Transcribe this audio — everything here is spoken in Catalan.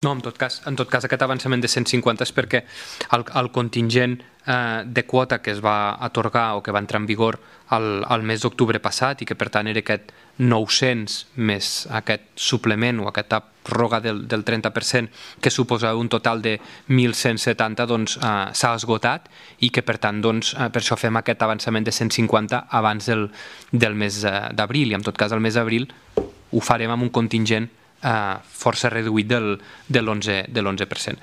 No, en tot cas aquest avançament de 150 és perquè el contingent de quota que es va atorgar o que va entrar en vigor al mes d'octubre passat i que per tant era aquest 900 més aquest suplement o aquesta pròrroga del 30% que suposava un total de 1.170 doncs s'ha esgotat i que per tant doncs per això fem aquest avançament de 150 abans del mes d'abril, i en tot cas el mes d'abril ho farem amb un contingent força reduït de l'11%.